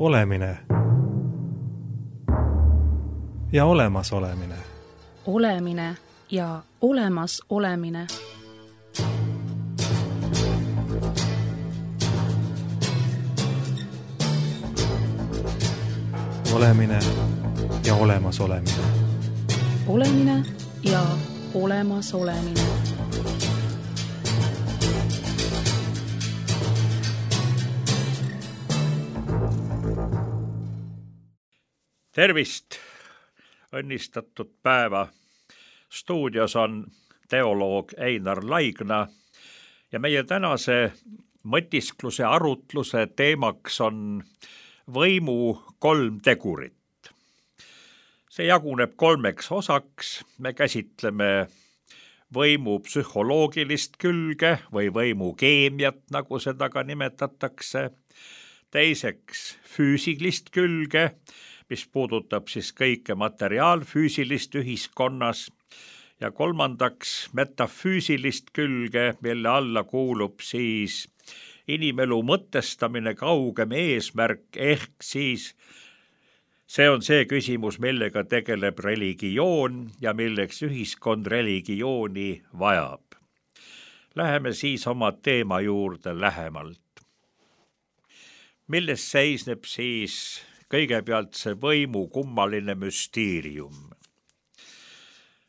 Olemine ja olemasolemine. Olemine ja olemas olemine. Olemine ja olemas olemine. Olemine ja olemas olemine. Tervist, õnnistatud päeva. Stuudios on teoloog Einar Laigna ja meie tänase mõtiskluse arutluse teemaks on võimu 3 tegurit. See jaguneb 3 osaks. Me käsitleme võimu psühholoogilist külge või võimu keemiat, nagu seda ka nimetatakse. Teiseks füüsilist külge, mis puudutab siis kõike materiaalfüüsilist ühiskonnas, ja 3. metafüüsilist külge, mille alla kuulub siis inimelu mõtestamine, kaugem eesmärk, ehk siis see on see küsimus, millega tegeleb religioon ja milleks ühiskond religiooni vajab. Läheme siis oma teema juurde lähemalt. Milles seisneb siis kõigepealt see võimu kummaline müsteerium?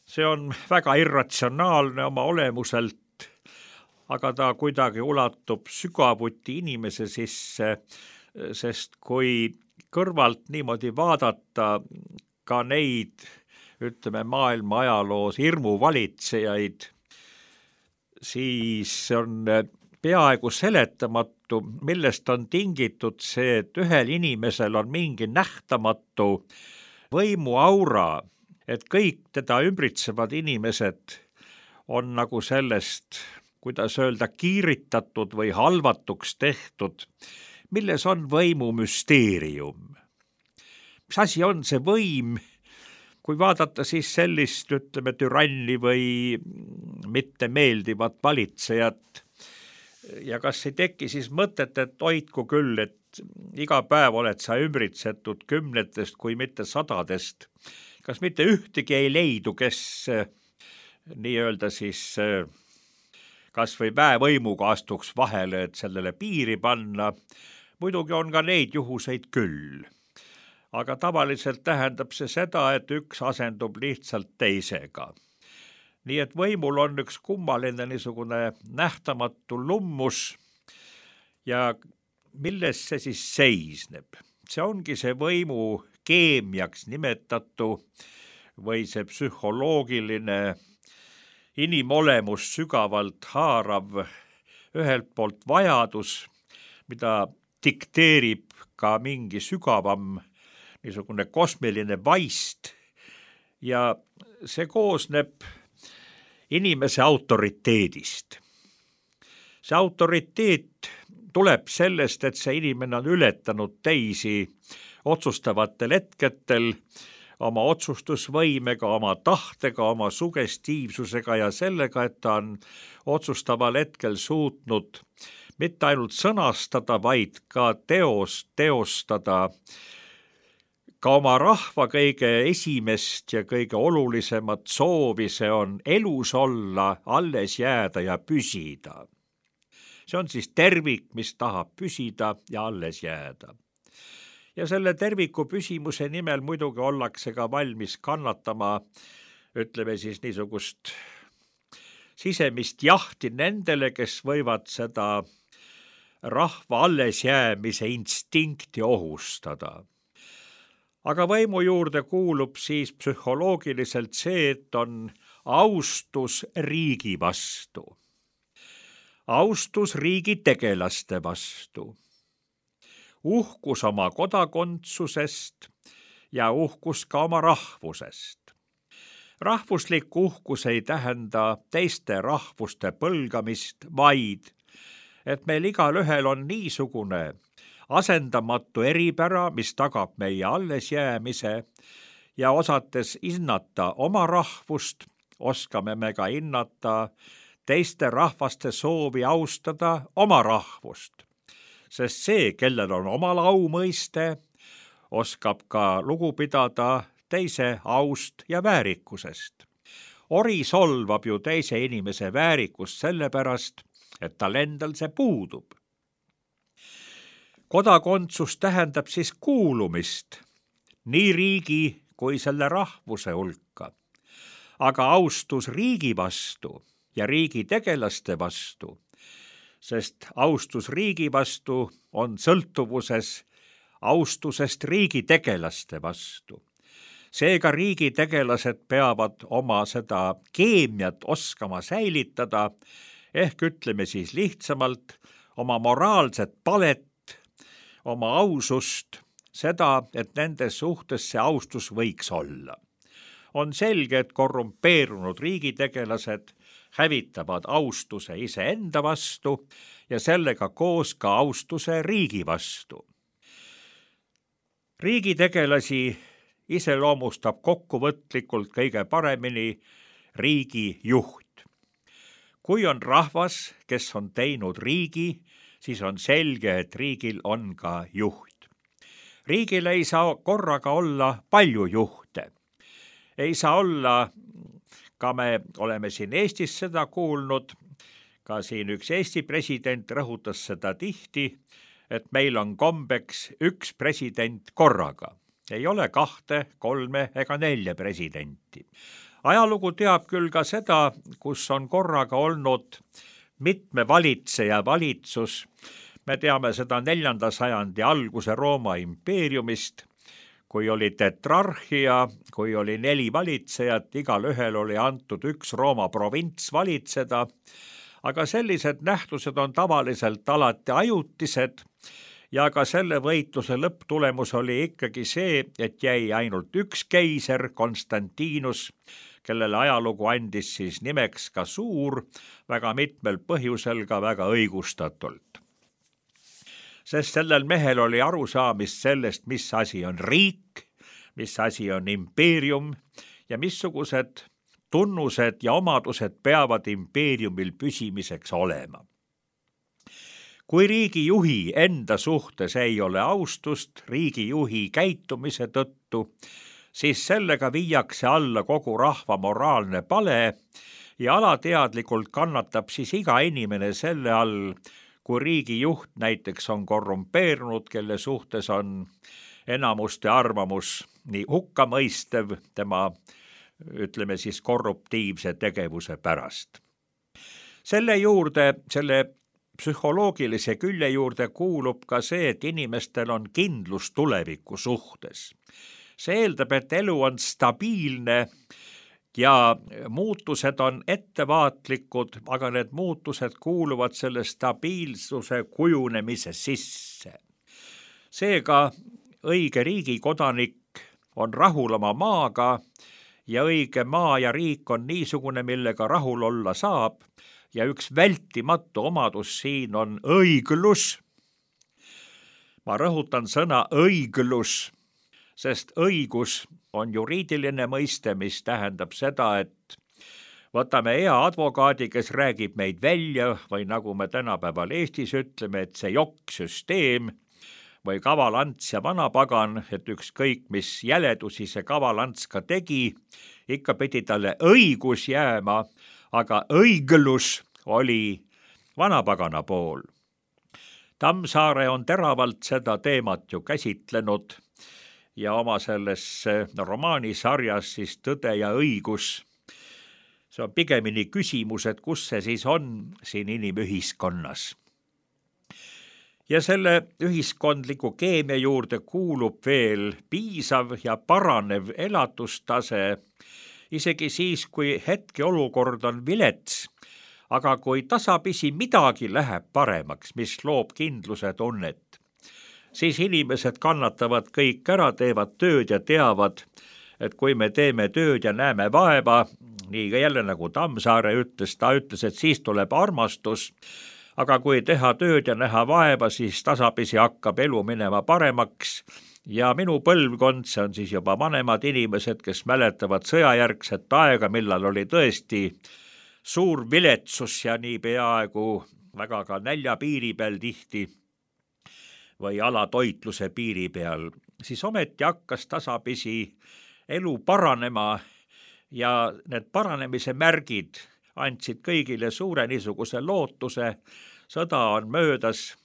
See on väga irratsionaalne oma olemuselt, aga ta kuidagi ulatub sügavuti inimese sisse, sest kui kõrvalt niimoodi vaadata ka neid, ütleme, maailma ajaloos hirmuvalitsejaid, siis on peaaegu seletamatu, millest on tingitud see, et ühel inimesel on mingi nähtamatu võimuaura, et kõik teda ümbritsevad inimesed on nagu sellest, kuidas öelda, kiiritatud või halvatuks tehtud, milles on võimu müsteerium. Mis asi on see võim? Kui vaadata siis sellist, ütleme, türanni või mitte meeldivat valitsejat, ja kas ei teki siis mõtet, et hoidku küll, et iga päev oled sa ümbritsetud 10 kui mitte 100. Kas mitte ühtegi ei leidu, kes nii-öelda siis kas või väevõimuga astuks vahele, et sellele piiri panna. Muidugi on ka neid juhuseid küll. Aga tavaliselt tähendab see seda, et üks asendub lihtsalt teisega. Nii et võimul on üks kummaline niisugune nähtamatu lummus ja milles see siis seisneb? See ongi see võimu keemiaks nimetatu või see psühholoogiline inimolemus sügavalt haarav ühelt poolt vajadus, mida dikteerib ka mingi sügavam niisugune kosmiline vaist ja see koosneb inimese autoriteedist. See autoriteet tuleb sellest, et see inimene on ületanud teisi otsustavatel hetketel oma otsustusvõimega, oma tahtega, oma sugestiivsusega ja sellega, et ta on otsustaval hetkel suutnud mitte ainult sõnastada, vaid ka teostada ka oma rahva kõige esimest ja kõige olulisemat soovi, see on elus olla, alles jääda ja püsida. See on siis tervik, mis tahab püsida ja alles jääda. Ja selle terviku püsimuse nimel muidugi ollakse ka valmis kannatama, ütleme siis niisugust sisemist jahti nendele, kes võivad seda rahva alles jäämise instinkti ohustada. Aga võimu juurde kuulub siis psühholoogiliselt see, et on austus riigi vastu. Austus riigi tegelaste vastu. Uhkus oma kodakondsusest ja uhkus ka oma rahvusest. Rahvuslik uhkus ei tähenda teiste rahvuste põlgamist, vaid et meil igalühel on niisugune asendamatu eripära, mis tagab meie allesjäämise ja osates hinnata oma rahvust, oskame me ka hinnata teiste rahvaste soovi austada oma rahvust. sest see, kellel on omal aumõiste, oskab ka lugu pidada teise aust ja väärikusest. Ori solvab ju teise inimese väärikust sellepärast, et tal endal see puudub. Kodakondsus tähendab siis kuulumist nii riigi kui selle rahvuse hulka. Aga austus riigi vastu ja riigi tegelaste vastu, sest austus riigi vastu on sõltuvuses austusest riigi tegelaste vastu. Seega riigi tegelased peavad oma seda keemiat oskama säilitada, ehk ütleme siis lihtsamalt oma moraalset palet, oma ausust, seda, et nende suhtes see austus võiks olla. On selge, et korrumpeerunud riigitegelased hävitavad austuse iseenda vastu ja sellega koos ka austuse riigi vastu. Riigitegelasi iseloomustab kokkuvõtlikult kõige paremini riigi juht. Kui on rahvas, kes on teinud riigi, siis on selge, et riigil on ka juht. Riigil ei saa korraga olla palju juhte. Ei saa olla, ka me oleme siin Eestis seda kuulnud, ka siin üks Eesti president rõhutas seda tihti, et meil on kombeks üks president korraga. Ei ole 2, 3 ega 4 presidenti. Ajalugu teab küll ka seda, kus on korraga olnud mitme valitseja valitsus. Me teame seda 4. sajandi alguse Rooma impeeriumist, kui oli tetrarhia, kui oli 4 valitsejat, igal ühel oli antud üks Rooma provints valitseda, aga sellised nähtused on tavaliselt alati ajutised ja ka selle võitluse lõpptulemus oli ikkagi see, et jäi ainult üks keiser, Konstantinus, kellele ajalugu andis siis nimeks ka suur, väga mitmel põhjusel ka väga õigustatult. Sest sellel mehel oli arusaamist sellest, mis asi on riik, mis asi on impeerium ja missugused tunnused ja omadused peavad impeeriumil püsimiseks olema. Kui riigijuhi enda suhtes ei ole austust riigijuhi käitumise tõttu, siis sellega viiakse alla kogu rahva moraalne pale ja alateadlikult kannatab siis iga inimene selle all, kui riigijuht näiteks on korrumpeerunud, kelle suhtes on enamuste arvamus nii hukkamõistev tema, ütleme siis korruptiivse tegevuse pärast. Selle psühholoogilise külje juurde kuulub ka see, et inimestel on kindlus tuleviku suhtes. See eeldab, et elu on stabiilne ja muutused on ettevaatlikud, aga need muutused kuuluvad selle stabiilsuse kujunemise sisse. Seega õige riigikodanik on rahul oma maaga ja õige maa ja riik on niisugune, millega rahul olla saab ja üks vältimatu omadus siin on õiglus. Ma rõhutan sõna õiglus, sest õigus on juriidiline mõiste, mis tähendab seda, et võtame hea advokaadi, kes räägib meid välja või nagu me tänapäeval Eestis ütleme, et see jokk-süsteem või kavalants ja vanapagan, et ükskõik mis jäledusi see kavalants ka tegi, ikka pidi talle õigus jääma, aga õiglus oli vanapagana pool. Tammsaare on teravalt seda teemat ju käsitlenud ja oma selles romaanisarjas siis Tõde ja õigus. See on pigemini küsimus, et kus see siis on siin inimühiskonnas. Ja selle ühiskondliku keemia juurde kuulub veel piisav ja paranev elatustase, isegi siis, kui hetkeolukord on vilets, aga kui tasapisi midagi läheb paremaks, mis loob kindluse tunnet, siis inimesed kannatavad kõik ära, teevad tööd ja teavad, et kui me teeme tööd ja näeme vaeva, nii ka jälle nagu Tammsaare ütles, ta ütles, et siis tuleb armastus, aga kui teha tööd ja näha vaeva, siis tasapisi hakkab elu minema paremaks ja minu põlvkond, see on siis juba vanemad inimesed, kes mäletavad sõjajärgset aega, millal oli tõesti suur viletsus ja nii peaaegu väga ka näljapiiri peal tihti, või alatoitluse piiri peal, siis ometi hakkas tasapisi elu paranema ja need paranemise märgid andsid kõigile suure niisuguse lootuse. Sõda on möödas,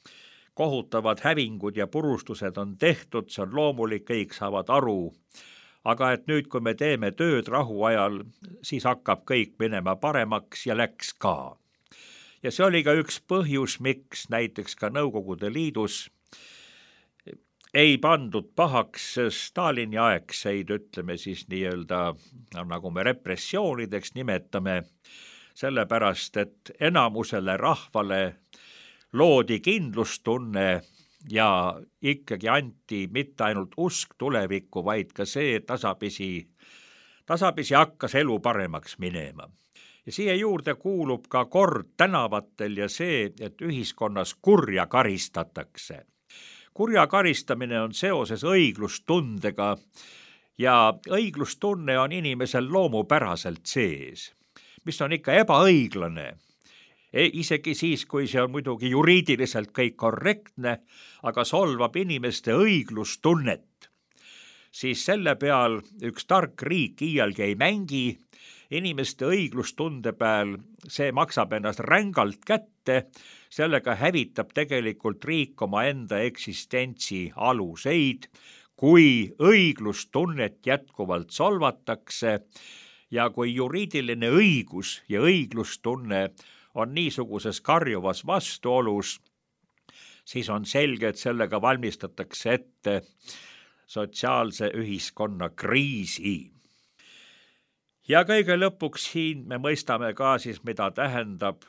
kohutavad hävingud ja purustused on tehtud, see on loomulik, kõik saavad aru. Aga et nüüd, kui me teeme tööd rahuajal, siis hakkab kõik minema paremaks ja läks ka. Ja see oli ka üks põhjus, miks näiteks ka Nõukogude Liidus ei pandud pahaks Stalini aegseid, ütleme siis nii-öelda, nagu me repressioonideks nimetame, sellepärast, et enamusele rahvale loodi kindlustunne ja ikkagi anti mitte ainult usk tulevikku, vaid ka see, et tasapisi hakkas elu paremaks minema. Ja siia juurde kuulub ka kord tänavatel ja see, et ühiskonnas kurja karistatakse. Kurja karistamine on seoses õiglustundega ja õiglustunne on inimesel loomupäraselt sees, mis on ikka ebaõiglane. Isegi siis, kui see on muidugi juriidiliselt kõik korrektne, aga solvab inimeste õiglustunnet, siis selle peal üks tark riik iialgi ei mängi. Inimeste õiglustunde peal see maksab ennast rängalt kätte, sellega hävitab tegelikult riik oma enda eksistentsi aluseid, kui õiglustunnet jätkuvalt solvatakse ja kui juriidiline õigus ja õiglustunne on niisuguses karjuvas vastuolus, siis on selge, et sellega valmistatakse ette sotsiaalse ühiskonna kriisi. Ja kõige lõpuks siin me mõistame ka siis, mida tähendab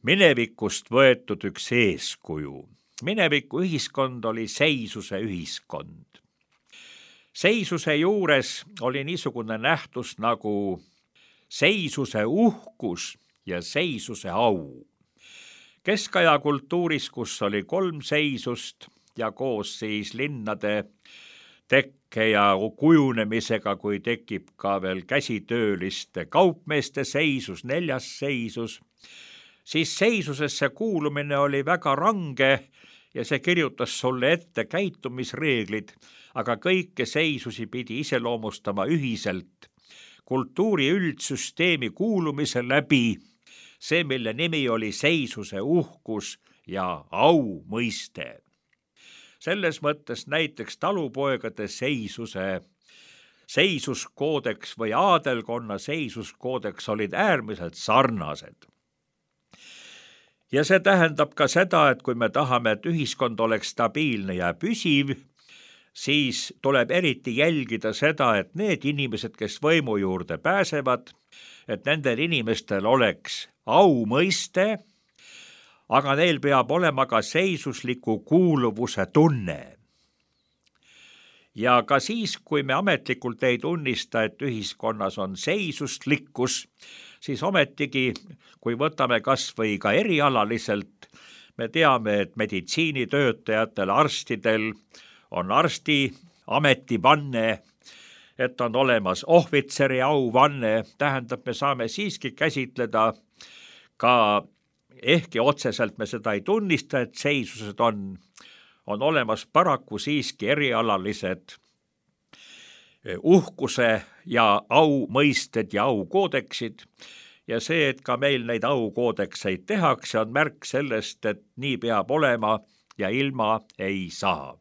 minevikust võetud üks eeskuju. Mineviku ühiskond oli seisuse ühiskond. Seisuse juures oli niisugune nähtus nagu seisuse uhkus ja seisuse au. Keskaja kultuuris, kus oli 3 seisust ja koos siis linnade tekke ja kujunemisega, kui tekib ka veel käsitööliste kaupmeeste seisus, 4. seisus, siis seisusesse kuulumine oli väga range ja see kirjutas sulle ette käitumisreeglid, aga kõike seisusi pidi iseloomustama ühiselt. Kultuuri üldsüsteemi kuulumise läbi, see, mille nimi oli seisuse uhkus ja au mõiste. Selles mõttes näiteks talupoegade seisuskoodeks või aadelkonna seisuskoodeks olid äärmiselt sarnased. Ja see tähendab ka seda, et kui me tahame, et ühiskond oleks stabiilne ja püsiv, siis tuleb eriti jälgida seda, et need inimesed, kes võimu juurde pääsevad, et nendel inimestel oleks au mõiste, aga neil peab olema ka seisusliku kuuluvuse tunne. Ja ka siis, kui me ametlikult ei tunnista, et ühiskonnas on seisuslikkus, siis ometigi, kui võtame kas või ka erialaliselt, me teame, et meditsiinitöötajatel, arstidel on arsti ametivanne, et on olemas ohvitseri auvanne, tähendab, me saame siiski käsitleda ka ehkki otseselt me seda ei tunnista, et seisused on olemas paraku siiski erialalised uhkuse ja au mõisted ja aukoodeksid. Ja see, et ka meil neid aukoodekseid tehakse, on märk sellest, et nii peab olema ja ilma ei saa.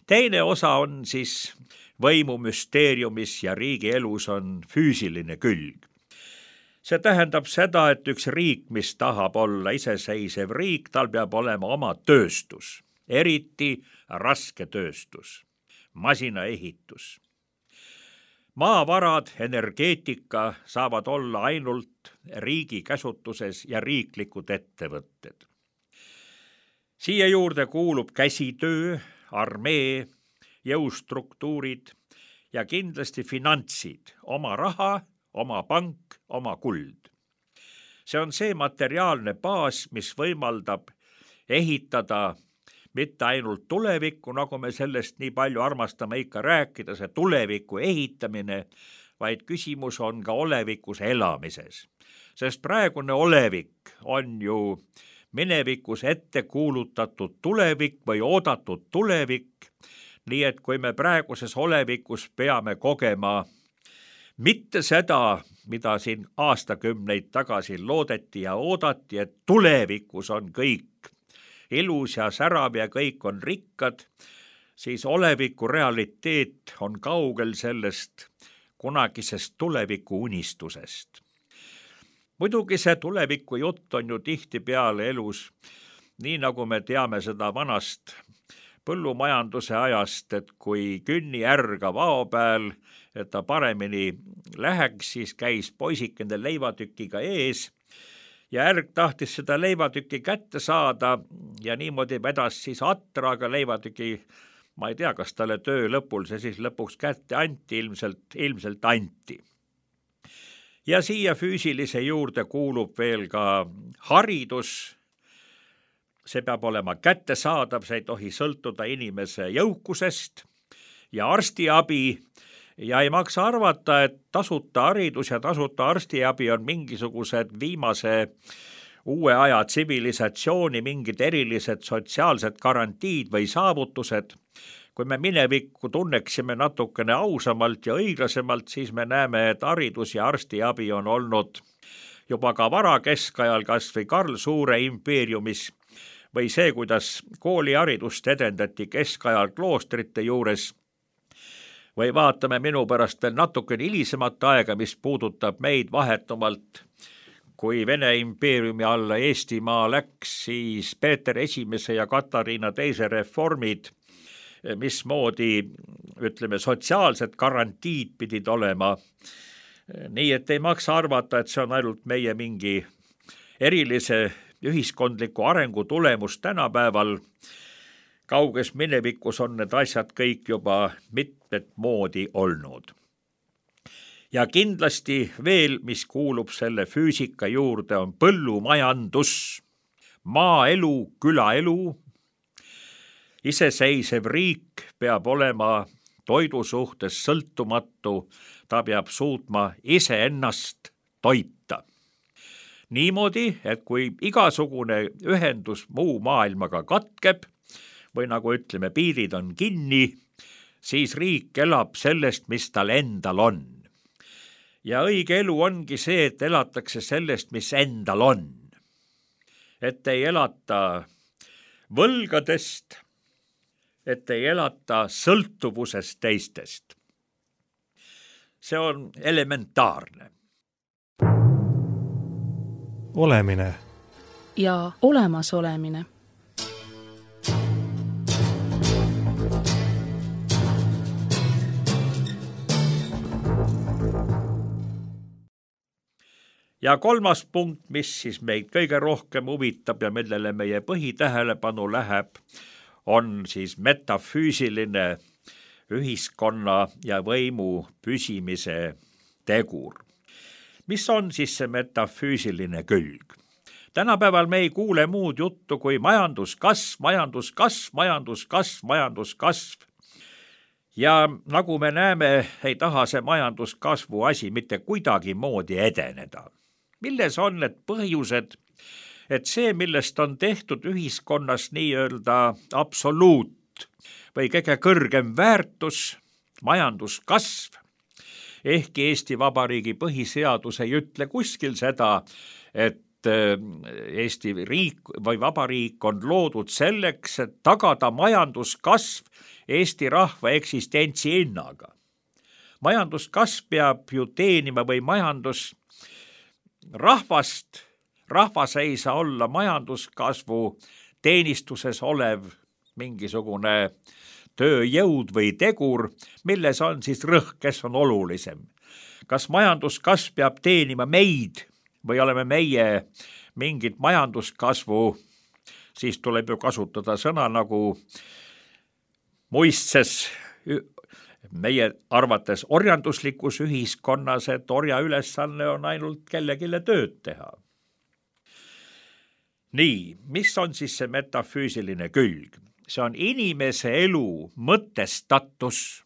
Teine osa on siis võimumüsteeriumis ja riigielus on füüsiline külg. See tähendab seda, et üks riik, mis tahab olla iseseisev riik, tal peab olema oma tööstus, eriti raske tööstus, masinaehitus. Maavarad, energeetika saavad olla ainult riigi käsutuses ja riiklikud ettevõtted. Siia juurde kuulub käsitöö, armee, jõustruktuurid ja kindlasti finantsid, oma raha, oma pank, oma kuld. See on see materiaalne baas, mis võimaldab ehitada mitte ainult tulevikku, nagu me sellest nii palju armastame ikka rääkida, see tuleviku ehitamine, vaid küsimus on ka olevikus elamises. Sest praegune olevik on ju minevikus ette kuulutatud tulevik või oodatud tulevik, nii et kui me praeguses olevikus peame kogema mitte seda, mida siin aastakümneid tagasi loodeti ja oodati, et tulevikus on kõik ilus ja särav ja kõik on rikkad, siis oleviku realiteet on kaugel sellest kunagisest tuleviku unistusest. Muidugi see tuleviku jutt on ju tihtipeale elus, nii nagu me teame seda vanast põllumajanduse ajast, et kui künni ärga vao peal, et ta paremini läheks, siis käis poisikene leivatükiga ees ja ärg tahtis seda leivatükki kätte saada ja niimoodi vedas siis atraga leivatüki. Ma ei tea, kas talle töö lõpul see siis lõpuks kätte anti, ilmselt anti. Ja siia füüsilise juurde kuulub veel ka haridus. See peab olema kättesaadav, see ei tohi sõltuda inimese jõukusest ja arstiabi. Ja ei maksa arvata, et tasuta haridus ja tasuta arstiabi on mingisugused viimase uue aja tsivilisatsiooni mingid erilised sotsiaalsed garantiid või saavutused. Kui me minevikku tunneksime natukene ausamalt ja õiglasemalt, siis me näeme, et haridus ja arstiabi on olnud juba ka varakeskajal, kas või Karl Suure impeeriumis, või see, kuidas kooliharidust edendati keskajal kloostrite juures, või vaatame minu pärast veel natukene hilisemat aega, mis puudutab meid vahetumalt. Kui Vene impeeriumi alla Eestimaa läks, siis Peeter I ja Katariina II reformid, mismoodi, ütleme, sotsiaalsed garantiid pidid olema. Nii et ei maksa arvata, et see on ainult meie mingi erilise ühiskondliku arengu tulemus tänapäeval. Kauges minevikus on need asjad kõik juba mitmet moodi olnud. Ja kindlasti veel, mis kuulub selle füüsika juurde, on põllumajandus, maaelu, külaelu. Iseseisev riik peab olema toidu suhtes sõltumatu, ta peab suutma iseennast toita. Niimoodi, et kui igasugune ühendus muu maailmaga katkeb, või nagu ütleme, piirid on kinni, siis riik elab sellest, mis tal endal on. Ja õige elu ongi see, et elatakse sellest, mis endal on. Et ei elata võlgadest, et ei elata sõltuvusest teistest. See on elementaarne. Olemine ja olemasolemine. Ja kolmas punkt, mis siis meid kõige rohkem huvitab ja millele meie põhitähelepanu läheb, on siis metafüüsiline ühiskonna ja võimu püsimise tegur. Mis on siis see metafüüsiline külg? Tänapäeval me ei kuule muud juttu kui majanduskasv, majanduskasv, majanduskasv, majanduskasv. Ja nagu me näeme, ei taha see majanduskasvu asi mitte kuidagi moodi edeneda. Milles on need põhjused, et see, millest on tehtud ühiskonnas nii-öelda absoluut või kõige kõrgem väärtus, majanduskasv, ehkki Eesti Vabariigi põhiseadus ei ütle kuskil seda, et Eesti riik või vabariik on loodud selleks, et tagada majanduskasv Eesti rahva eksistentsi hinnaga. Majanduskasv peab ju teenima või rahvast, rahvas ei saa olla majanduskasvu teenistuses olev mingisugune tööjõud või tegur, milles on siis rõhk, kes on olulisem. Kas majanduskasv peab teenima meid või oleme meie mingit majanduskasvu, siis tuleb ju kasutada sõna nagu muistses meie arvates orjanduslikus ühiskonnas, et orja ülesanne on ainult kellegile tööd teha. Nii, mis on siis see metafüüsiline külg? See on inimese elu mõtestatus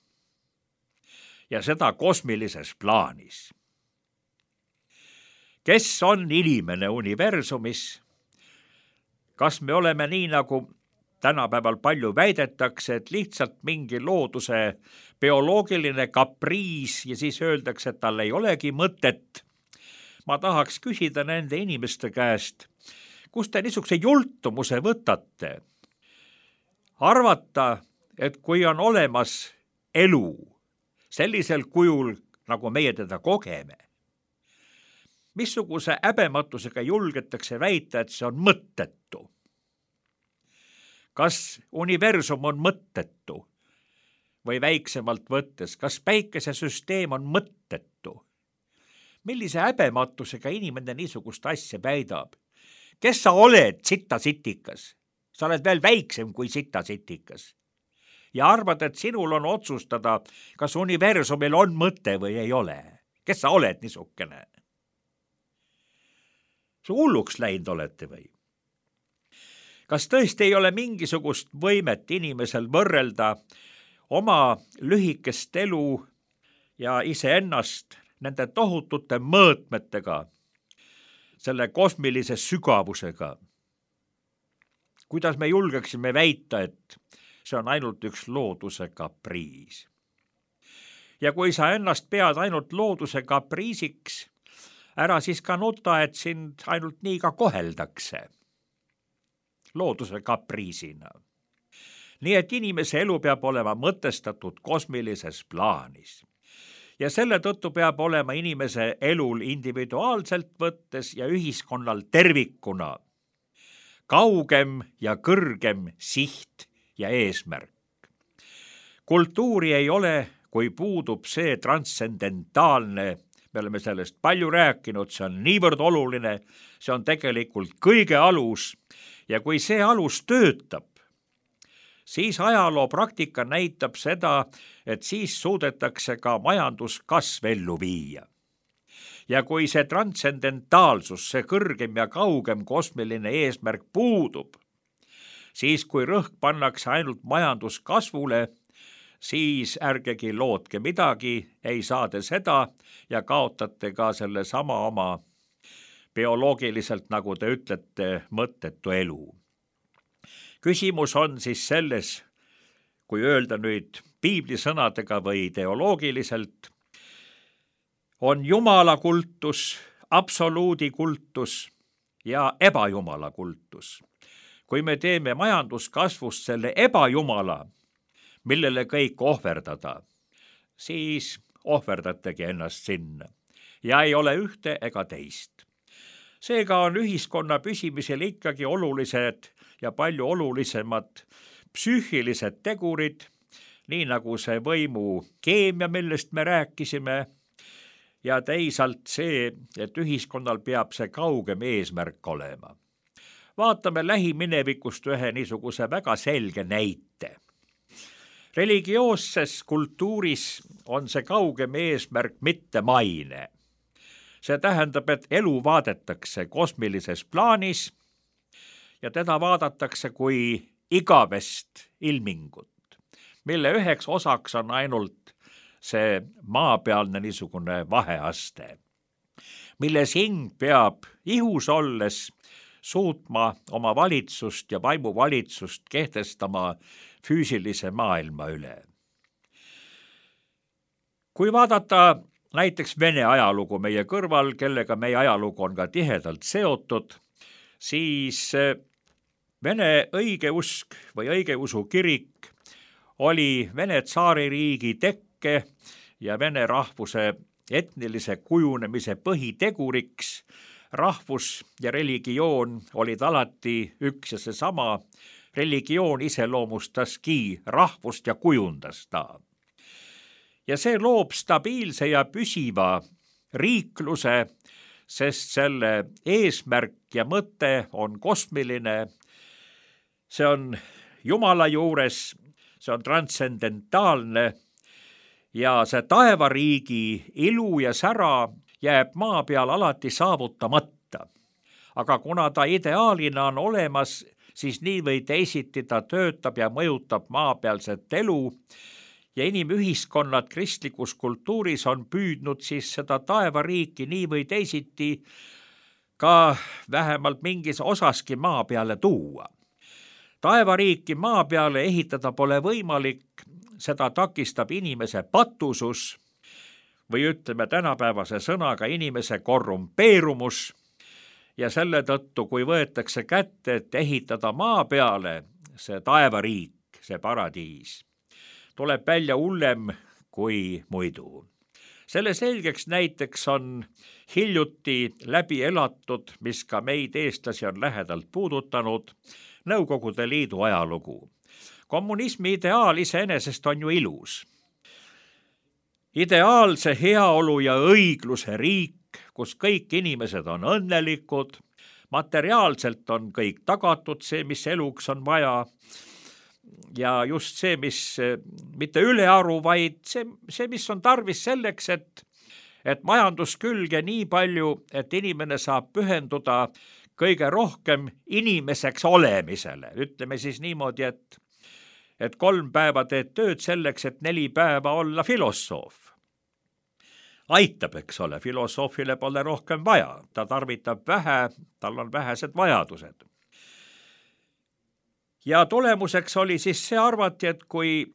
ja seda kosmilises plaanis. Kes on inimene universumis? Kas me oleme nii, nagu tänapäeval palju väidetakse, et lihtsalt mingi looduse bioloogiline kapriis ja siis öeldakse, et tal ei olegi mõtet? Ma tahaks küsida nende inimeste käest, kust te niisuguse jultumuse võtate? Arvata, et kui on olemas elu sellisel kujul, nagu meie teda kogeme, missuguse häbematusega julgetakse väita, et see on mõttetu? Kas universum on mõttetu või väiksemalt võttes, kas päikesesüsteem on mõttetu? Millise häbematusega inimene niisugust asja väidab? Kes sa oled, sitasitikas? Sa oled veel väiksem kui sitasitikas. Ja arvad, et sinul on otsustada, kas universumil on mõte või ei ole. Kes sa oled niisugune? Sa hulluks läinud olete või? Kas tõesti ei ole mingisugust võimet inimesel võrrelda oma lühikest elu ja iseennast nende tohutute mõõtmetega, selle kosmilise sügavusega? Kuidas me julgeksime väita, et see on ainult üks looduse kapriis? Ja kui sa ennast pead ainult looduse kapriisiks, ära siis ka nuta, et sind ainult nii ka koheldakse looduse kapriisina. Nii et inimese elu peab olema mõtestatud kosmilises plaanis. Ja selle tõttu peab olema inimese elul individuaalselt võttes ja ühiskonnal tervikuna kaugem ja kõrgem siht ja eesmärk. Kultuuri ei ole, kui puudub see transcendentaalne, me oleme sellest palju rääkinud, see on niivõrd oluline, see on tegelikult kõige alus ja kui see alus töötab, siis ajaloo praktika näitab seda, et siis suudetakse ka majanduskasv ellu viia. Ja kui see transcendentaalsus, see kõrgem ja kaugem kosmiline eesmärk puudub, siis kui rõhk pannakse ainult majanduskasvule, siis ärgegi lootke midagi, ei saade seda ja kaotate ka selle sama oma bioloogiliselt, nagu te ütlete, mõttetu elu. Küsimus on siis selles, kui öelda nüüd piiblisõnadega või teoloogiliselt, on jumala kultus, absoluudi kultus ja ebajumala kultus. Kui me teeme majanduskasvust selle ebajumala, millele kõik ohverdada, siis ohverdategi ennast sinna ja ei ole ühte ega teist. Seega on ühiskonna püsimisel ikkagi olulised ja palju olulisemad psüühilised tegurid, nii nagu see võimu keemia, millest me rääkisime, ja teisalt see, et ühiskonnal peab see kaugem eesmärk olema. Vaatame lähiminevikust ühe niisuguse väga selge näite. Religioosses kultuuris on see kaugem eesmärk mitte maine. See tähendab, et elu vaadetakse kosmilises plaanis ja teda vaadatakse kui igavest ilmingut, mille üheks osaks on ainult see maapealne niisugune vaheaste, milles hing peab ihus olles suutma oma valitsust ja vaimuvalitsust kehtestama füüsilise maailma üle. Kui vaadata näiteks Vene ajalugu meie kõrval, kellega meie ajalugu on ka tihedalt seotud, siis Vene õigeusk või õigeusu kirik oli Vene tsaaririigi tekke ja Vene rahvuse etnilise kujunemise põhiteguriks. Rahvus ja religioon olid alati üks ja seesama. Religioon iseloomustaski rahvust ja kujundas ta. Ja see loob stabiilse ja püsiva riikluse, sest selle eesmärk ja mõte on kosmiline. See on Jumala juures, see on transcendentaalne ja see taevariigi ilu ja sära jääb maa peal alati saavutamata. Aga kuna ta ideaalina on olemas, siis nii või teisiti ta töötab ja mõjutab maapealset elu ja inimühiskonnad kristlikus kultuuris on püüdnud siis seda taevariiki nii või teisiti ka vähemalt mingis osaski maa peale tuua. Taevariiki maa peale ehitada pole võimalik, seda takistab inimese patusus või ütleme tänapäevase sõnaga inimese korrumpeerumus ja selle tõttu, kui võetakse kätte, et ehitada maa peale see taevariik, see paradiis, tuleb välja hullem kui muidu. Selle selgeks näiteks on hiljuti läbi elatud, mis ka meid eestlasi on lähedalt puudutanud, Nõukogude Liidu ajalugu. Kommunismi ideaal iseenesest on ju ilus. Ideaalse heaolu ja õigluse riik, kus kõik inimesed on õnnelikud, materiaalselt on kõik tagatud, see, mis eluks on vaja, ja just see, mis mitte ülearu, vaid see, mis on tarvis selleks, et majanduskülge nii palju, et inimene saab pühenduda kõige rohkem inimeseks olemisele. Ütleme siis niimoodi, et 3 päeva teed tööd selleks, et 4 päeva olla filosoof. Aitab, eks ole, filosoofile pole rohkem vaja, ta tarvitab vähe, tal on vähesed vajadused. Ja tulemuseks oli siis see arvati, et kui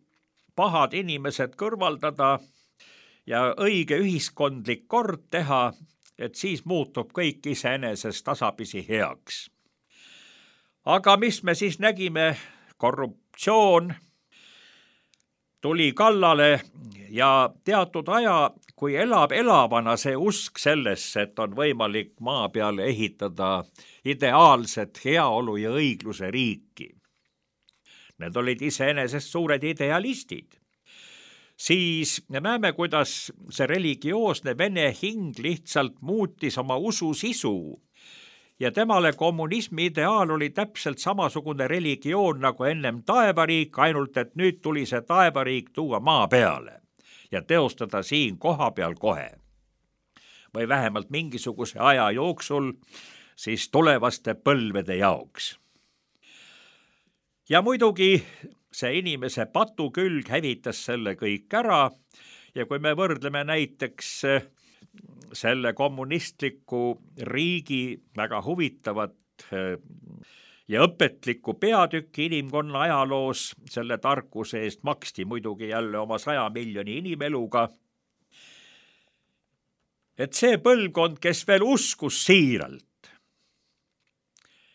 pahad inimesed kõrvaldada ja õige ühiskondlik kord teha, et siis muutub kõik iseenesest tasapisi heaks. Aga mis me siis nägime? Korruptsioon tuli kallale ja teatud aja, kui elab elavana see usk sellesse, et on võimalik maa peale ehitada ideaalset heaolu ja õigluse riiki. Need olid iseenesest suured idealistid. Siis näeme, kuidas see religioosne vene hing lihtsalt muutis oma usu sisu ja temale kommunismi ideaal oli täpselt samasugune religioon nagu ennem taevariik, ainult et nüüd tuli see taevariik tuua maa peale ja teostada siin koha peal kohe. Või vähemalt mingisuguse aja jooksul siis tulevaste põlvede jaoks. Ja muidugi see inimese patukülg hävitas selle kõik ära ja kui me võrdleme näiteks selle kommunistliku riigi väga huvitavat ja õpetlikku peatükki inimkonna ajaloos, selle tarkuse eest maksti muidugi jälle oma 100 miljoni inimeluga, et see põlvkond, kes veel uskus siiralt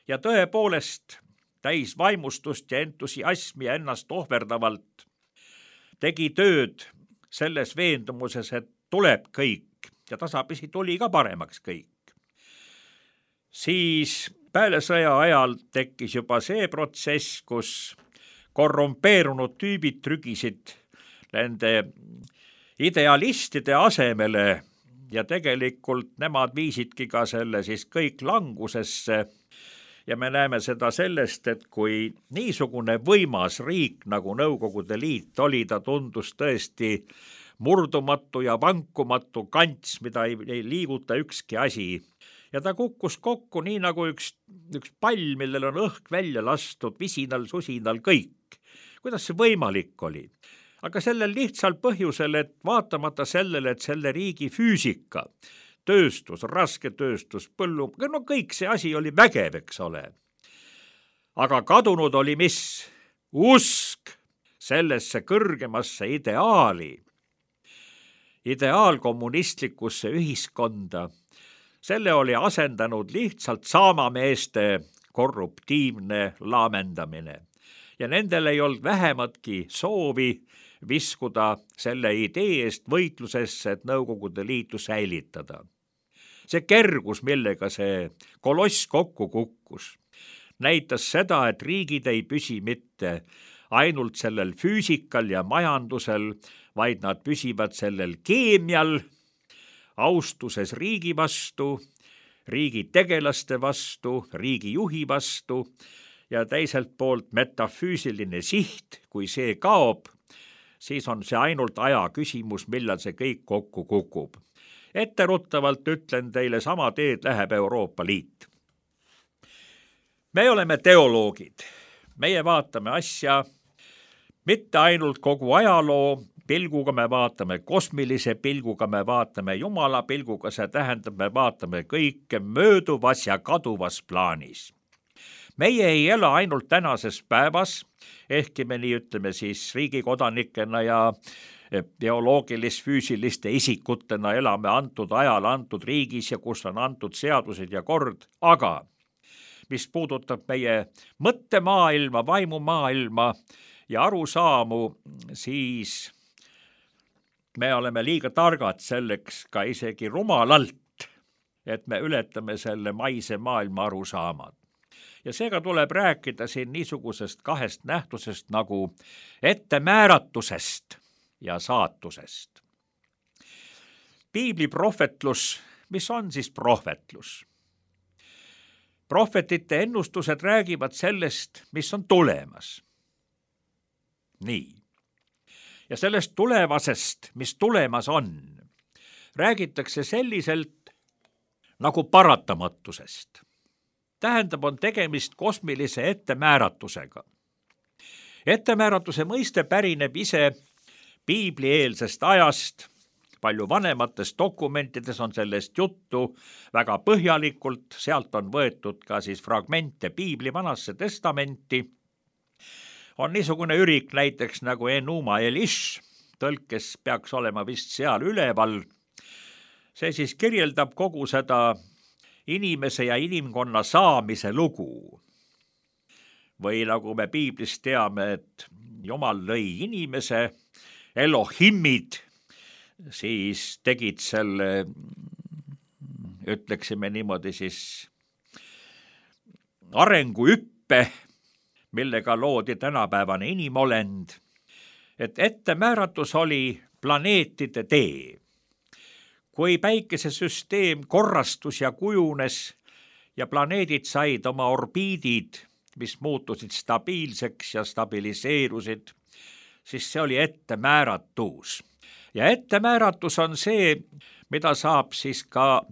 ja tõepoolest täis vaimustust ja entusiasmi ja ennast ohverdavalt tegi tööd selles veendumuses, et tuleb kõik ja tasapisi tuli ka paremaks kõik. Siis peale sõja ajal tekkis juba see protsess, kus korrumpeerunud tüübid trügisid nende idealistide asemele ja tegelikult nemad viisidki ka selle siis kõik langusesse. Ja me näeme seda sellest, et kui niisugune võimas riik nagu Nõukogude Liit oli, ta tundus tõesti murdumatu ja vankumatu kants, mida ei liiguta ükski asi. Ja ta kukkus kokku nii nagu üks pall, millel on õhk välja lastud, visinal, susinal kõik. Kuidas see võimalik oli? Aga sellel lihtsal põhjusel, et vaatamata sellele, et selle riigi füüsika, tööstus, rasketööstus, põllu, no kõik see asi oli vägev, eks ole. Aga kadunud oli mis? Usk sellesse kõrgemasse ideaali. Ideaalkommunistlikusse ühiskonda. Selle oli asendanud lihtsalt saamameeste korruptiivne laamendamine. Ja nendel ei olnud vähematki soovi viskuda selle idee eest võitlusesse, et Nõukogude Liitu säilitada. See kergus, millega see koloss kokku kukkus, näitas seda, et riigid ei püsi mitte ainult sellel füüsikal ja majandusel, vaid nad püsivad sellel keemial, austuses riigi vastu, riigi tegelaste vastu, riigi juhi vastu ja teiselt poolt metafüüsiline siht, kui see kaob, siis on see ainult aja küsimus, millal see kõik kokku kukub. Etteruttavalt ütlen teile, sama teed läheb Euroopa Liit. Me oleme teoloogid. Meie vaatame asja mitte ainult kogu ajaloo, pilguga me vaatame, kosmilise pilguga me vaatame, Jumala pilguga, see tähendab, me vaatame kõike mööduvas ja kaduvas plaanis. Meie ei ela ainult tänases päevas, ehkki me nii ütleme siis riigikodanikena ja bioloogilis-füüsiliste isikutena elame antud ajal, antud riigis ja kus on antud seadused ja kord, aga mis puudutab meie mõttemaailma, vaimumaailma ja arusaamu, siis me oleme liiga targad selleks ka isegi rumalalt, et me ületame selle maise maailma arusaamad. Ja seega tuleb rääkida siin niisugusest kahest nähtusest nagu ettemääratusest ja saatusest. Piibli prohvetlus, mis on siis prohvetlus? Prohvetite ennustused räägivad sellest, mis on tulemas. Nii. Ja sellest tulevasest, mis tulemas on, räägitakse selliselt nagu paratamatusest. Tähendab, on tegemist kosmilise ettemääratusega. Ettemääratuse mõiste pärineb ise piiblieelsest ajast, palju vanemates dokumentides on sellest juttu väga põhjalikult, sealt on võetud ka siis fragmente piibli Vanasse testamenti. On niisugune ürik näiteks nagu Enuma Elish, tõlkes peaks olema vist seal üleval. See siis kirjeldab kogu seda inimese ja inimkonna saamise lugu. Või nagu me piiblist teame, et Jumal lõi inimese, Elohimid, siis tegid selle, ütleksime niimoodi siis, arenguhüppe, millega loodi tänapäevane inimolend, et ettemääratus oli planeetide tee. Kui päikesesüsteem korrastus ja kujunes ja planeedid said oma orbiidid, mis muutusid stabiilseks ja stabiliseerusid, siis see oli ettemääratus. Ja ettemääratus on see, mida saab siis ka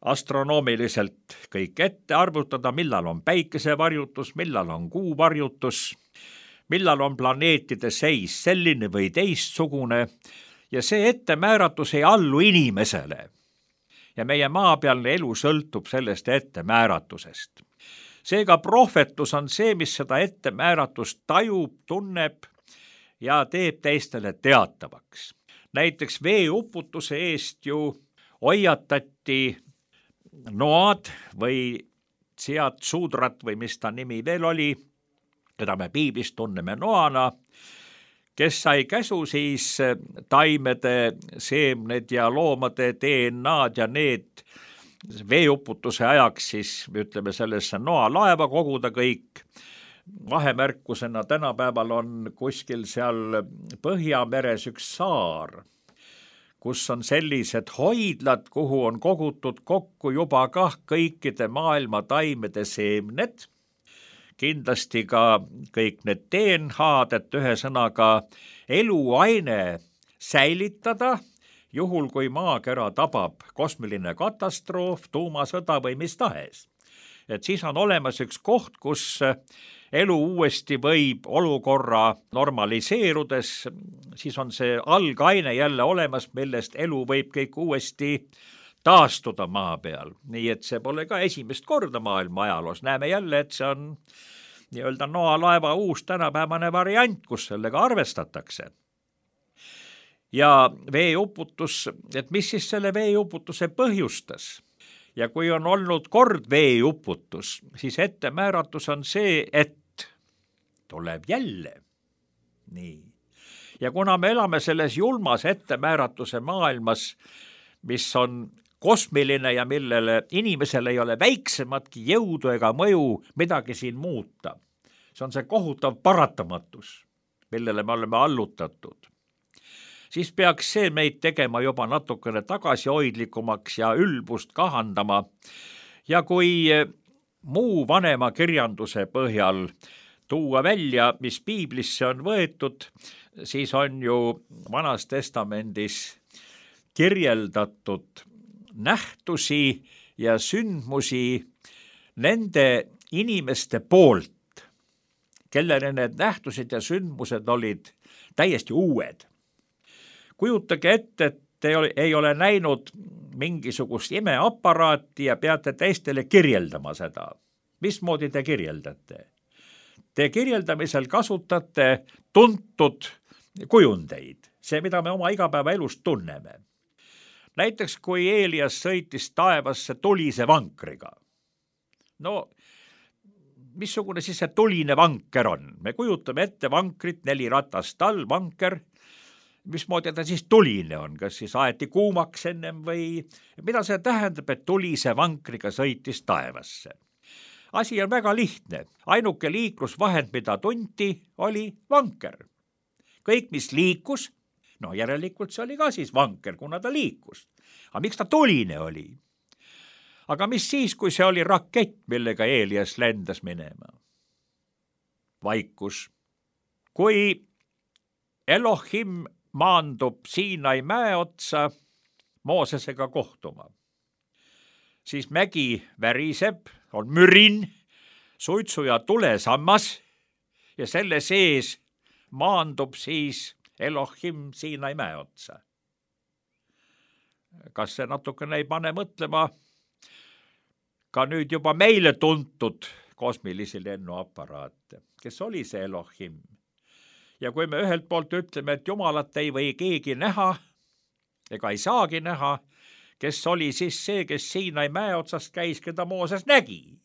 astronoomiliselt kõik ette arvutada, millal on päikesevarjutus, millal on kuuvarjutus, millal on planeetide seis selline või teistsugune, ja see ettemääratus ei allu inimesele. Ja meie maapealne elu sõltub sellest ettemääratusest. Seega prohvetlus on see, mis seda ettemääratust tajub, tunneb ja teeb teistele teatavaks. Näiteks veeuputuse eest ju hoiatati Noad või Tsiat Sudrat või mis ta nimi veel oli, keda me piiblist tunneme Noana, kes sai käsu siis taimede seemned ja loomade DNA-d ja need veeuputuse ajaks siis, ütleme sellesse Noa laeva koguda kõik. Vahemärkusena tänapäeval on kuskil seal Põhjameres üks saar, kus on sellised hoidlad, kuhu on kogutud kokku juba kah kõikide maailma taimede seemned, kindlasti ka kõik need DNA-d, et ühesõnaga eluaine säilitada, juhul kui maakera tabab kosmiline katastroof, tuumasõda või mis tahes. Et siis on olemas üks koht, kus elu uuesti võib olukorra normaliseerudes, siis on see algaine jälle olemas, millest elu võib kõik uuesti taastuda maa peal. Nii et see pole ka esimest korda maailma ajaloos. Näeme jälle, et see on nii-öelda Noa laeva uus tänapäevane variant, kus sellega arvestatakse. Ja veeuputus, et mis siis selle veeuputuse põhjustas? Ja kui on olnud kord veeuputus, siis ettemääratus on see, et tuleb jälle. Nii. Ja kuna me elame selles julmas ettemääratuse maailmas, mis on kosmiline ja millele inimesel ei ole väiksematki jõudu ega mõju midagi siin muuta, see on see kohutav paratamatus, millele me oleme allutatud, siis peaks see meid tegema juba natukene tagasihoidlikumaks ja ülbust kahandama. Ja kui muu vanema kirjanduse põhjal tuua välja, mis piiblisse on võetud, siis on ju Vanas Testamendis kirjeldatud nähtusi ja sündmusi nende inimeste poolt, kellele need nähtused ja sündmused olid täiesti uued. kujutage ette, et te ei ole näinud mingisugust imeaparaati ja peate teistele kirjeldama seda. Mismoodi te kirjeldate? Te kirjeldamisel kasutate tuntud kujundeid, see, mida me oma igapäevaelust tunneme. Näiteks, kui Eelias sõitis taevasse tulise vankriga. No, missugune siis see tuline vanker on? Me kujutame ette vankrit, 4 ratast all, vanker. Mismoodi ta siis tuline on? Kas siis aeti kuumaks ennem või mida see tähendab, et tulise vankriga sõitis taevasse? Asi on väga lihtne. Ainuke liiklusvahend, mida tunti, oli vanker. Kõik, mis liikus, no järelikult see oli ka siis vanker, kuna ta liikus. Aga miks ta tuline oli? Aga mis siis, kui see oli rakett, millega Eelias lendas minema? Vaikus. Kui Elohim maandub Siinai mäe otsa Moosesega kohtuma, siis mägi väriseb, on mürin, suitsu ja tulesammas ja selle sees maandub siis Elohim Siinai mäe otsa. Kas see natukene ei pane mõtlema ka nüüd juba meile tuntud kosmilisi lennuaparaate? Kes oli see Elohim? Ja kui me ühelt poolt ütleme, et Jumalat ei või keegi näha ega ei saagi näha, kes oli siis see, kes Siinai mäe otsast käis, keda Mooses nägi?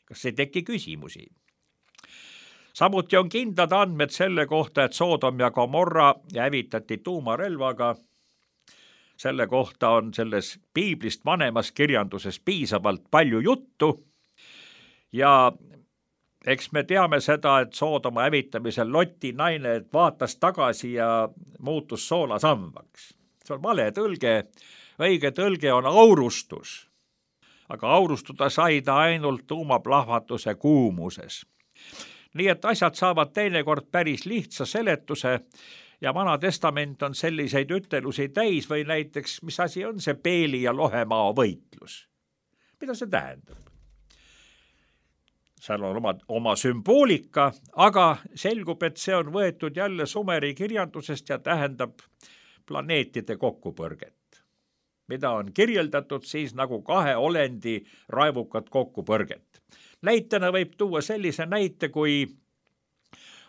Kas ei teki küsimusi? Samuti on kindlad andmed selle kohta, et Soodom ja Gomorra hävitati tuumarelvaga. Selle kohta on selles piiblist vanemas kirjanduses piisavalt palju juttu ja eks me teame seda, et Soodoma hävitamisel Loti naine vaatas tagasi ja muutus soolasambaks. See on vale tõlge. Õige tõlge on aurustus, aga aurustuda sai ta ainult tuumaplahvatuse kuumuses. Nii et asjad saavad teinekord päris lihtsa seletuse ja Vana Testament on selliseid ütelusi täis või näiteks, mis asi on see Peeli ja Lohemaa võitlus? Mida see tähendab? Seal on oma sümboolika, aga selgub, et see on võetud jälle Sumeri kirjandusest ja tähendab planeetide kokkupõrget, mida on kirjeldatud siis nagu 2 olendi raevukat kokkupõrget. Näitena võib tuua sellise näite, kui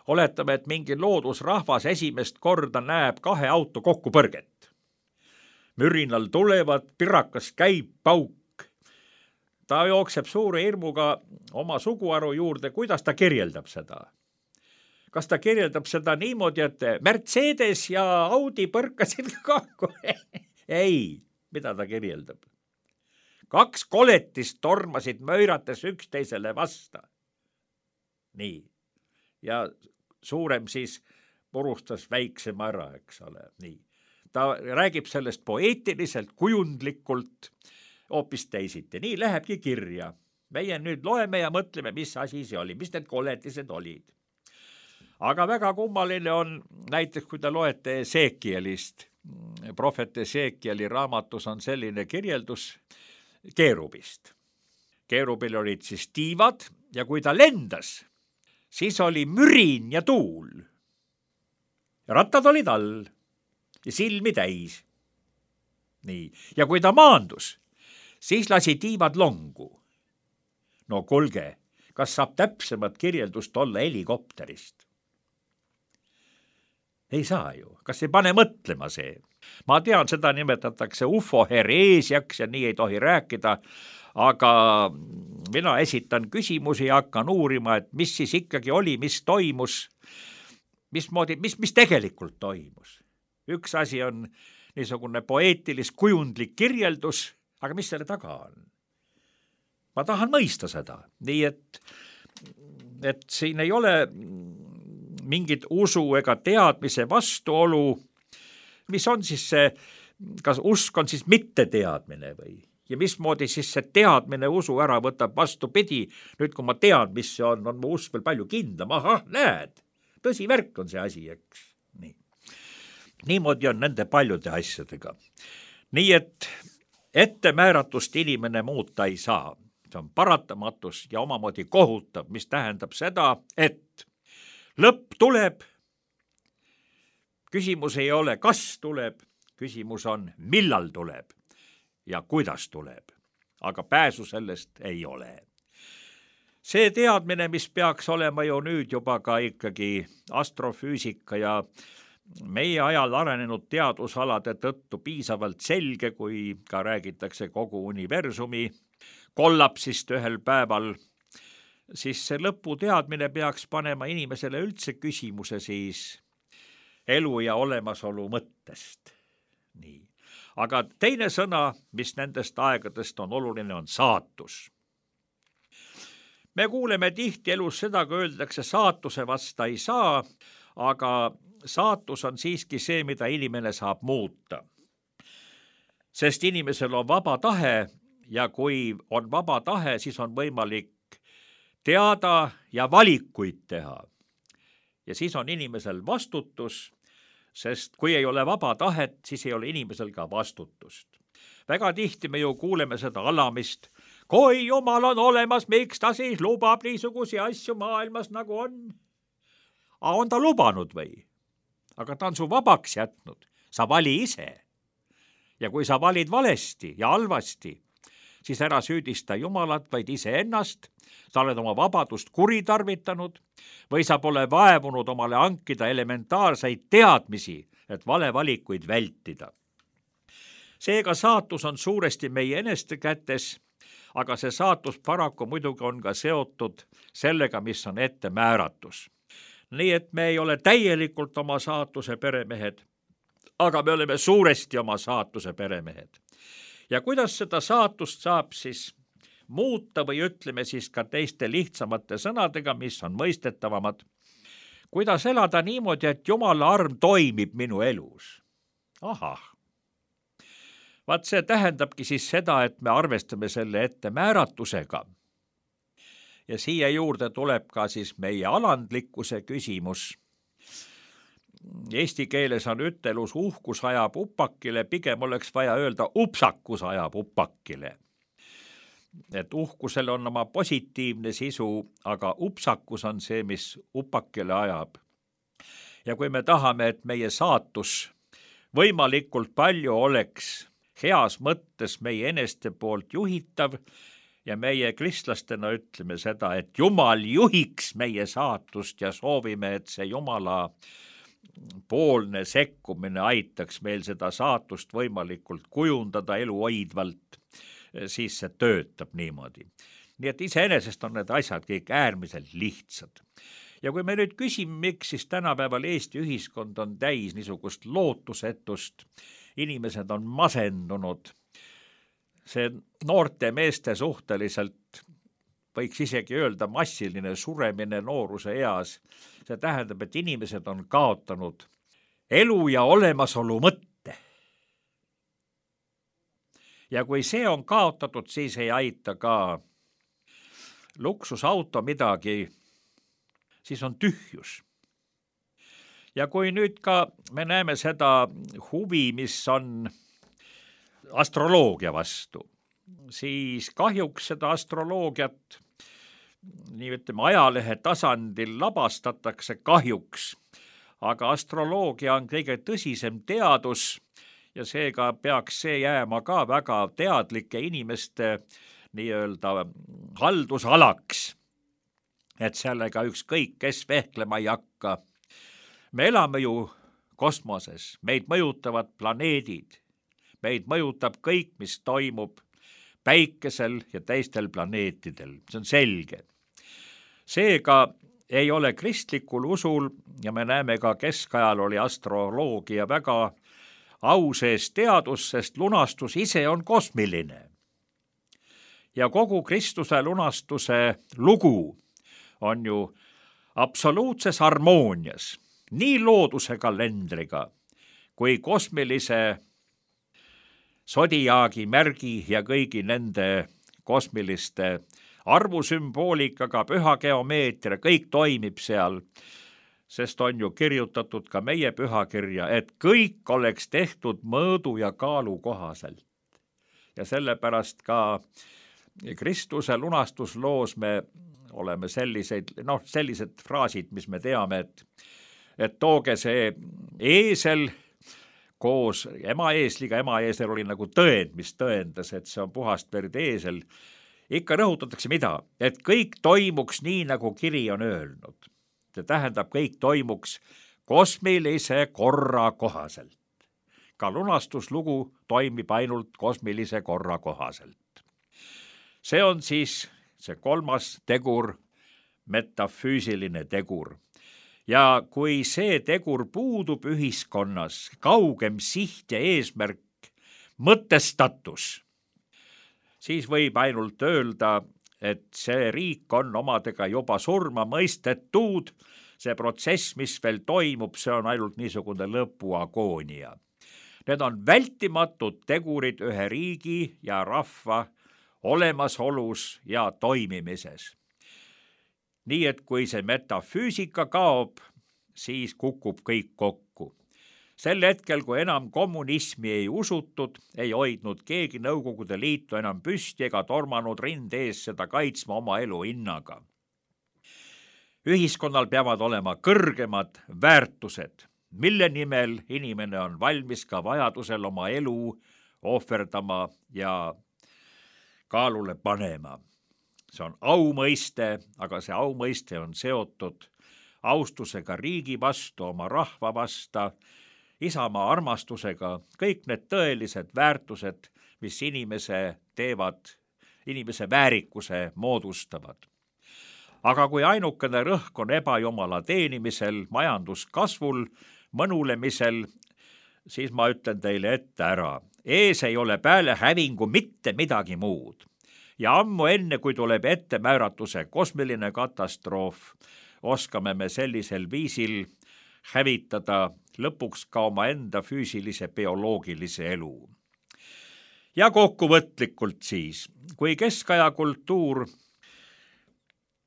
oletame, et mingi loodusrahvas esimest korda näeb 2 auto kokkupõrget. Mürinal tulevad, pirakas käib, pauk. Ta jookseb suure hirmuga oma suguharu juurde. Kuidas ta kirjeldab seda? Kas ta kirjeldab seda niimoodi, et Mercedes ja Audi põrkasid kokku? Ei, mida ta kirjeldab? 2 koletist tormasid möirates üksteisele vasta. Nii. Ja suurem siis purustas väiksema ära, eks ole. Nii. Ta räägib sellest poeetiliselt, kujundlikult, hoopis teisiti. Nii lähebki kirja. Meie nüüd loeme ja mõtleme, mis asi see oli, mis need koletised olid. Aga väga kummaline on näiteks, kui te loete Esekielist. Prohvet Esekieli raamatus on selline kirjeldus keerubist. Keerubil olid siis tiivad ja kui ta lendas, siis oli mürin ja tuul. Rattad olid all ja silmi täis. Nii. Ja kui ta maandus, siis lasi tiivad longu. No kuulge, kas saab täpsemat kirjeldust olla helikopterist? Ei saa ju. Kas ei pane mõtlema see? Ma tean, seda nimetatakse ufohereesiaks ja nii ei tohi rääkida, aga mina esitan küsimusi ja hakkan uurima, et mis siis ikkagi oli, mis toimus, mis tegelikult toimus. Üks asi on niisugune poeetilis kujundlik kirjeldus, aga mis selle taga on? Ma tahan mõista seda, nii et siin ei ole mingit usu ega teadmise vastuolu, mis on siis see, kas usk on siis mitteteadmine või? Ja mismoodi siis see teadmine usu ära võtab vastupidi, nüüd kui ma tean, mis see on mu usk veel palju kindlam, ahah, näed, tõsivärk on see asi, eks. Nii. Niimoodi on nende paljude asjadega. Nii et ettemääratust inimene muuta ei saa. See on paratamatus ja omamoodi kohutav, mis tähendab seda, et lõpp tuleb küsimus ei ole, kas tuleb, küsimus on, millal tuleb ja kuidas tuleb, aga pääsu sellest ei ole. See teadmine, mis peaks olema ju nüüd juba ka ikkagi astrofüüsika ja meie ajal arenenud teadusalade tõttu piisavalt selge, kui ka räägitakse kogu universumi kollapsist ühel päeval, siis see lõputeadmine peaks panema inimesele üldse küsimuse siis elu ja olemasolu mõttest. Nii. Aga teine sõna, mis nendest aegadest on oluline, on saatus. Me kuuleme tihti elus seda, kui öeldakse, saatuse vasta ei saa, aga saatus on siiski see, mida inimene saab muuta. Sest inimesel on vaba tahe ja kui on vaba tahe, siis on võimalik teada ja valikuid teha. Ja siis on inimesel vastutus, sest kui ei ole vaba tahet, siis ei ole inimesel ka vastutust. Väga tihti me ju kuuleme seda alamist, kui Jumal on olemas, miks ta siis lubab niisugusi asju maailmas nagu on? On ta lubanud või? Aga ta on su vabaks jätnud, sa vali ise. Ja kui sa valid valesti ja halvasti, siis ära süüdista Jumalat, vaid iseennast, sa oled oma vabadust kuritarvitanud või sa pole vaevunud omale hankida elementaarseid teadmisi, et valevalikuid vältida. Seega saatus on suuresti meie eneste kätes, aga see saatus paraku muidugi on ka seotud sellega, mis on ette määratus. Nii et me ei ole täielikult oma saatuse peremehed, aga me oleme suuresti oma saatuse peremehed. Ja kuidas seda saatust saab siis muuta või ütleme siis ka teiste lihtsamate sõnadega, mis on mõistetavamad. Kuidas elada niimoodi, et Jumala arm toimib minu elus? Ahah. Vaat see tähendabki siis seda, et me arvestame selle ette määratusega. Ja siia juurde tuleb ka siis meie alandlikkuse küsimus. Eesti keeles on ütelus uhkus ajab upakile, pigem oleks vaja öelda upsakus ajab upakile. Et uhkusel on oma positiivne sisu, aga upsakus on see, mis upakile ajab. Ja kui me tahame, et meie saatus võimalikult palju oleks heas mõttes meie eneste poolt juhitav ja meie kristlastena ütleme seda, et Jumal juhiks meie saatust ja soovime, et see Jumala poolne sekkumine aitaks meil seda saatust võimalikult kujundada eluhoidvalt, siis see töötab niimoodi. Nii et iseenesest on need asjad kõik äärmiselt lihtsad. Ja kui me nüüd küsime, miks siis tänapäeval Eesti ühiskond on täis niisugust lootusetust, inimesed on masendunud, see noorte meeste suhteliselt, võiks isegi öelda massiline suremine nooruse eas, see tähendab, et inimesed on kaotanud elu ja olemasolu mõtte. Ja kui see on kaotatud, siis ei aita ka luksusauto midagi, siis on tühjus. Ja kui nüüd ka me näeme seda huvi, mis on astroloogia vastu, siis kahjuks seda astroloogiat nii ütleme ajalehe tasandil labastatakse kahjuks, aga astroloogia on kõige tõsisem teadus ja seega peaks see jääma ka väga teadlike inimeste nii-öelda haldusalaks, et sellega ükskõik kes vehklema ei hakka. Me elame ju kosmoses, meid mõjutavad planeedid, meid mõjutab kõik, mis toimub päikesel ja teistel planeetidel, see on selge. Seega ei ole kristlikul usul ja me näeme ka keskajal oli astroloogia väga au sees teadus, sest lunastus ise on kosmiline. Ja kogu Kristuse lunastuse lugu on ju absoluutses harmoonias, nii looduse kalendriga kui kosmilise sodiaagi märgi ja kõigi nende kosmiliste arvusümboolikaga, püha geomeetria, kõik toimib seal, sest on ju kirjutatud ka meie pühakirja, et kõik oleks tehtud mõõdu ja kaalu kohaselt. Ja sellepärast ka Kristuse lunastusloos me oleme sellised fraasid, mis me teame, et et tooge see eesel koos emaeesliga, emaeesel oli nagu tõend, mis tõendas, et see on puhast verd eesel. Ikka rõhutatakse mida? Et kõik toimuks nii, nagu kiri on öelnud. See tähendab, kõik toimuks kosmilise korra kohaselt. Ka lunastuslugu toimib ainult kosmilise korra kohaselt. See on siis see kolmas tegur, metafüüsiline tegur. Ja kui see tegur puudub ühiskonnas, kaugem siht ja eesmärk, mõtestatus, siis võib ainult öelda, et see riik on omadega juba surma mõistetud, see protsess, mis veel toimub, see on ainult niisugune lõpuagoonia. Need on vältimatud tegurid ühe riigi ja rahva olemasolus ja toimimises. Nii et kui see metafüüsika kaob, siis kukub kõik kokku. Sel hetkel, kui enam kommunismi ei usutud, ei hoidnud keegi Nõukogude Liitu enam püsti ega tormanud rinde ees seda kaitsma oma elu hinnaga. Ühiskonnal peavad olema kõrgemad väärtused, mille nimel inimene on valmis ka vajadusel oma elu ohverdama ja kaalule panema. See on aumõiste, aga see aumõiste on seotud austusega riigi vastu, oma rahva vastu, isamaa armastusega, kõik need tõelised väärtused, mis inimese teevad, inimese väärikuse moodustavad. Aga kui ainukene rõhk on ebajumala teenimisel, majanduskasvul, mõnulemisel, siis ma ütlen teile ette ära. Ees ei ole peale hävingu mitte midagi muud. Ja ammu enne, kui tuleb ettemääratuse kosmiline katastroof, oskame me sellisel viisil hävitada lõpuks ka oma enda füüsilise bioloogilise elu. Ja kokkuvõtlikult siis, kui keskaja kultuur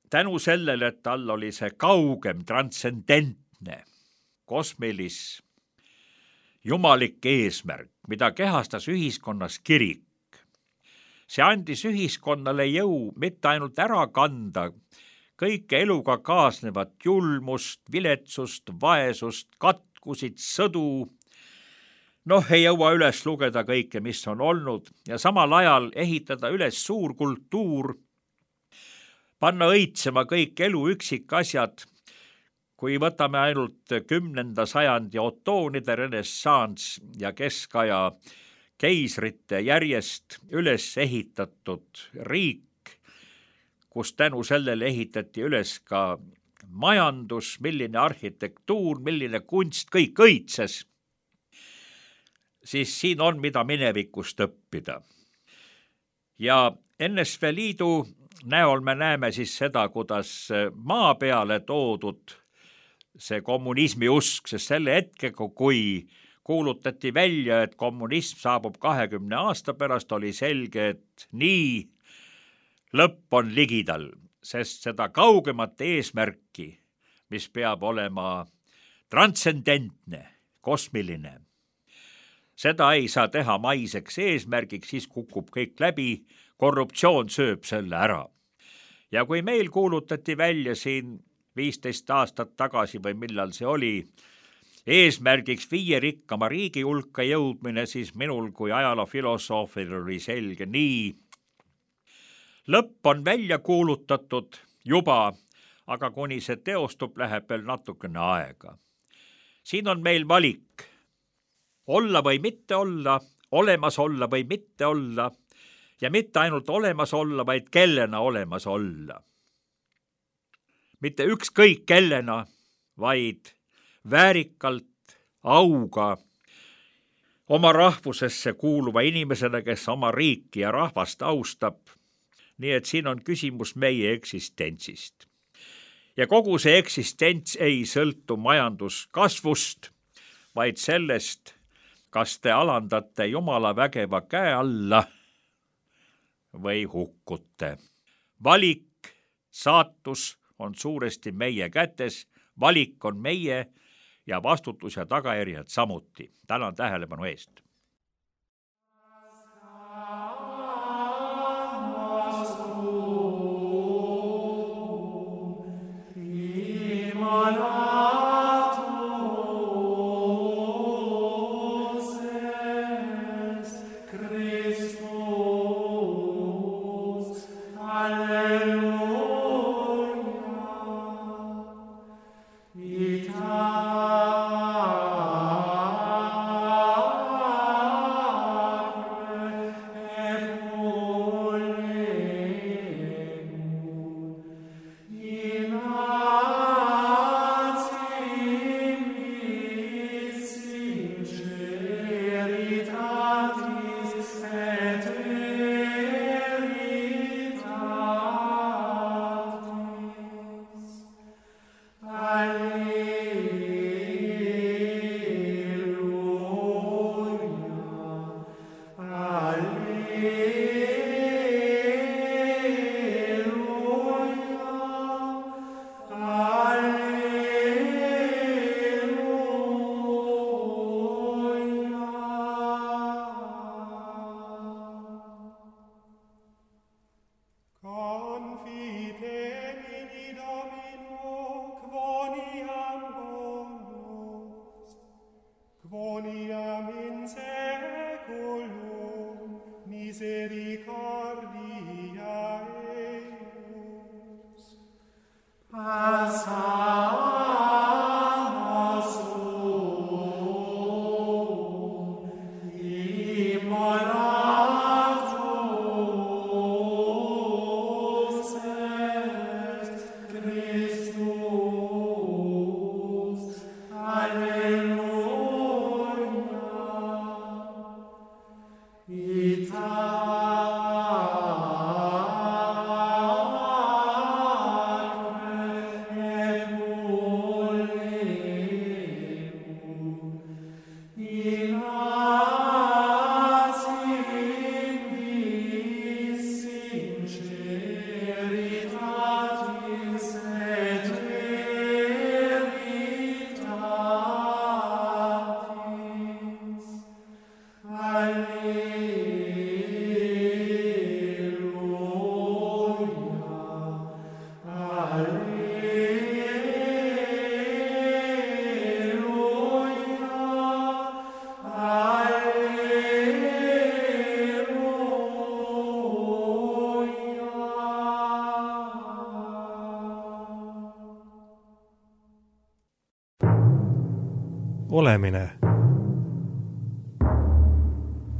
tänu sellele, et tal oli see kaugem, transcendentne, kosmilis, jumalik eesmärk, mida kehastas ühiskonnas kirik, see andis ühiskonnale jõu mitte ainult ära kanda kõike eluga kaasnevat julmust, viletsust, vaesust, katkusid, sõdu. Ei jõua üles lugeda kõike, mis on olnud ja samal ajal ehitada üles suur kultuur, panna õitsema kõik elu üksikasjad. Kui võtame ainult 10. sajandi otoonide renessanss ja keskaja keisrite järjest üles ehitatud riik, kus tänu sellele ehitati üles ka majandus, milline arhitektuur, milline kunst, kõik õitses, siis siin on, mida minevikust õppida. Ja NSV Liidu näol me näeme siis seda, kuidas maa peale toodud see kommunismi usk, sest selle hetkega, kui kuulutati välja, et kommunism saabub 20 aasta pärast, oli selge, et nii lõpp on ligidal, sest seda kaugemat eesmärki, mis peab olema transcendentne, kosmiline, seda ei saa teha maiseks eesmärgiks, siis kukub kõik läbi, korruptsioon sööb selle ära. Ja kui meil kuulutati välja siin 15 aastat tagasi või millal see oli, eesmärgiks 5 rikkama riigi hulka jõudmine, siis minul kui ajaloofilosoofil oli selge nii. Lõpp on välja kuulutatud juba, aga kuni see teostub, läheb veel natukene aega. Siin on meil valik. Olla või mitte olla, olemas olla või mitte olla ja mitte ainult olemas olla, vaid kellena olemas olla. Mitte ükskõik kellena, vaid väärikalt, auga, oma rahvusesse kuuluva inimesena, kes oma riiki ja rahvast austab. Nii et siin on küsimus meie eksistentsist. Ja kogu see eksistents ei sõltu majanduskasvust, vaid sellest, kas te alandate Jumala vägeva käe alla või hukkute. Valik, saatus on suuresti meie kätes, valik on meie ja vastutus ja tagajärjed samuti. Tänan tähelepanu eest. Imanatum Quoniam in seculum misericordia eius. Passa Olemine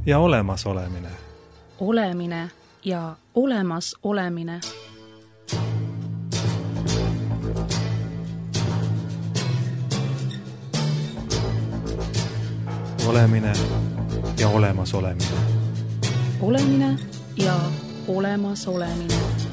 ja olemasolemine. Olemine ja olemas olemine. Olemine ja olemas olemine. Olemine ja olemas olemine.